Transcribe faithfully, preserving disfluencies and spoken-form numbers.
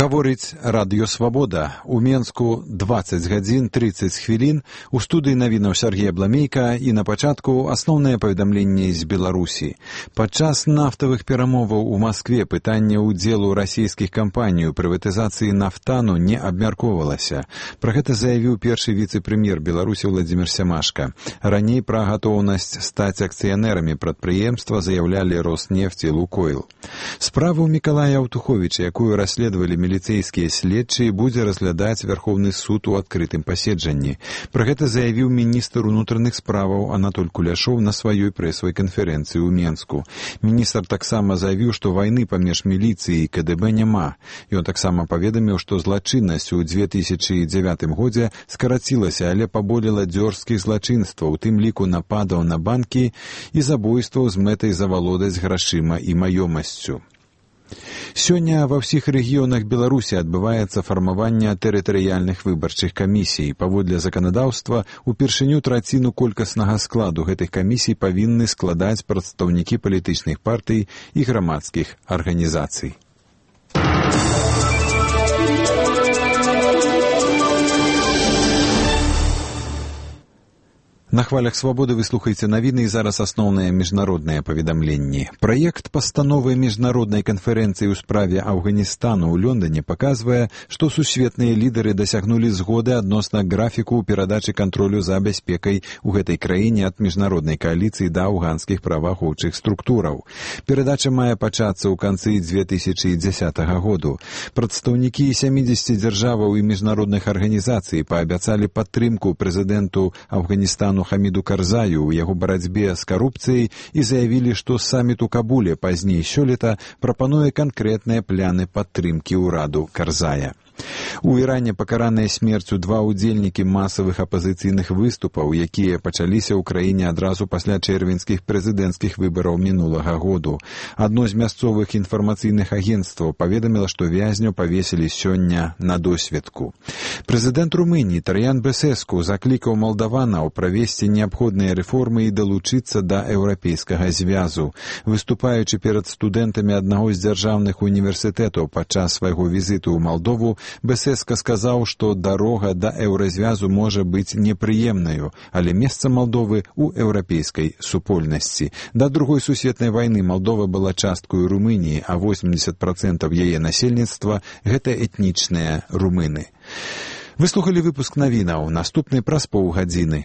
Гаворыць Радыё Свабода. У Менску дваццаць гадзін трыццаць хвілін. У студыі навінаў Сергей Абламейка і на пачатку асноўныя паведамленні з Беларусі. Падчас нафтавых перамоваў у Маскве пытанне ўдзелу расійскіх кампаній у прыватызацыі нафтану не абмяркоўвалася. Пра гэта заявіў першы віцэ-прэм'ер Беларусі Владзімір Сямашка. Раней пра гатоўнасць стаць акцыянэрамі прадпрыемства заяўлялі Роснефть і Лукойл. Справу Мікалая Аўтуховіча, якую расследавалі міліцэйскія следчыя, будзе разглядаць Вярхоўны суд у адкрытым паседжанні. Пра гэта заявіў міністр унутраных справаў Анатоль Куляшоў на сваёй прэсавай канферэнцыі ў Менску. Міністр таксама заявіў, што вайны паміж міліцыяй і ка дэ бэ няма. Ён таксама паведаміў, што злачыннасць у дзве тысячы дзявятым годзе скарацілася, але паболела дзёрзкіх злачынстваў, у тым ліку нападаў на банкі і забойстваў з мэтай завалодаць грашыма і маёмасцю. Сёння ва ўсіх рэгіёнах Беларусі адбываецца фармаванне тэрытарыяльных выбарчых камісій. Паводле заканадаўства, упершыню траціну колькаснага складу гэтых камісій павінны складаць прадстаўнікі палітычных партый і грамадскіх арганізацый. На хвалях свабоды вы слухаеце навіны і зараз асноўныя міжнародныя паведамленні. Праект пастановы міжнароднай канферэнцыі ў справе Афганістану ў Лондоне паказвае, што сусветныя лідары дасягнулі згоды адносна графіку перадачы кантролю за бяспекай у гэтай краіне ад міжнароднай кааліцыі да афганскіх праваахоўчых структураў. Перадача мае пачацца ў канцы дзве тысячы дзясятага году. Прадстаўнікі сямідзесяці дзяржаваў і міжнародных арганізацый паабяцалі падтрымку прэзідэнту Афганістану Хаміду Карзаю ў яго барацьбе з карупцыяй і заявілі, што саміт у Кабуле пазней сёлета прапануе канкрэтныя пляны падтрымкі ўраду Карзая. У Іране пакараныя смерцю два ўдзельнікі масавых апазіцыйных выступаў, якія пачаліся ў краіне адразу пасля чэрвеньскіх прэзідэнцкіх выбараў мінулага году. Адно з мясцовых інфармацыйных агенцтваў паведаміла, што вязняў павесілі сёння на досведку. Прэзідэнт Румыніі Тараян Бесеску заклікаў малдаванаў правесці неабходныя рэформы і далучыцца да еўрапейскага звязу. Выступаючы перад студэнтамі аднаго з дзяржаўных універсітэтаў падчас свайго візіту ў Малдову, Бесеска сказаў, што дарога да еўразвязу можа быць непрыемнаю, але месца Малдовы ў еўрапейскай супольнасці. Да другой сусветнай вайны Малдова была часткаю Румыніі, а восемьдесят процентов яе насельніцтва – гэта этнічныя румыны. Вы слухалі выпуск навінаў, наступны праз паўгадзіны.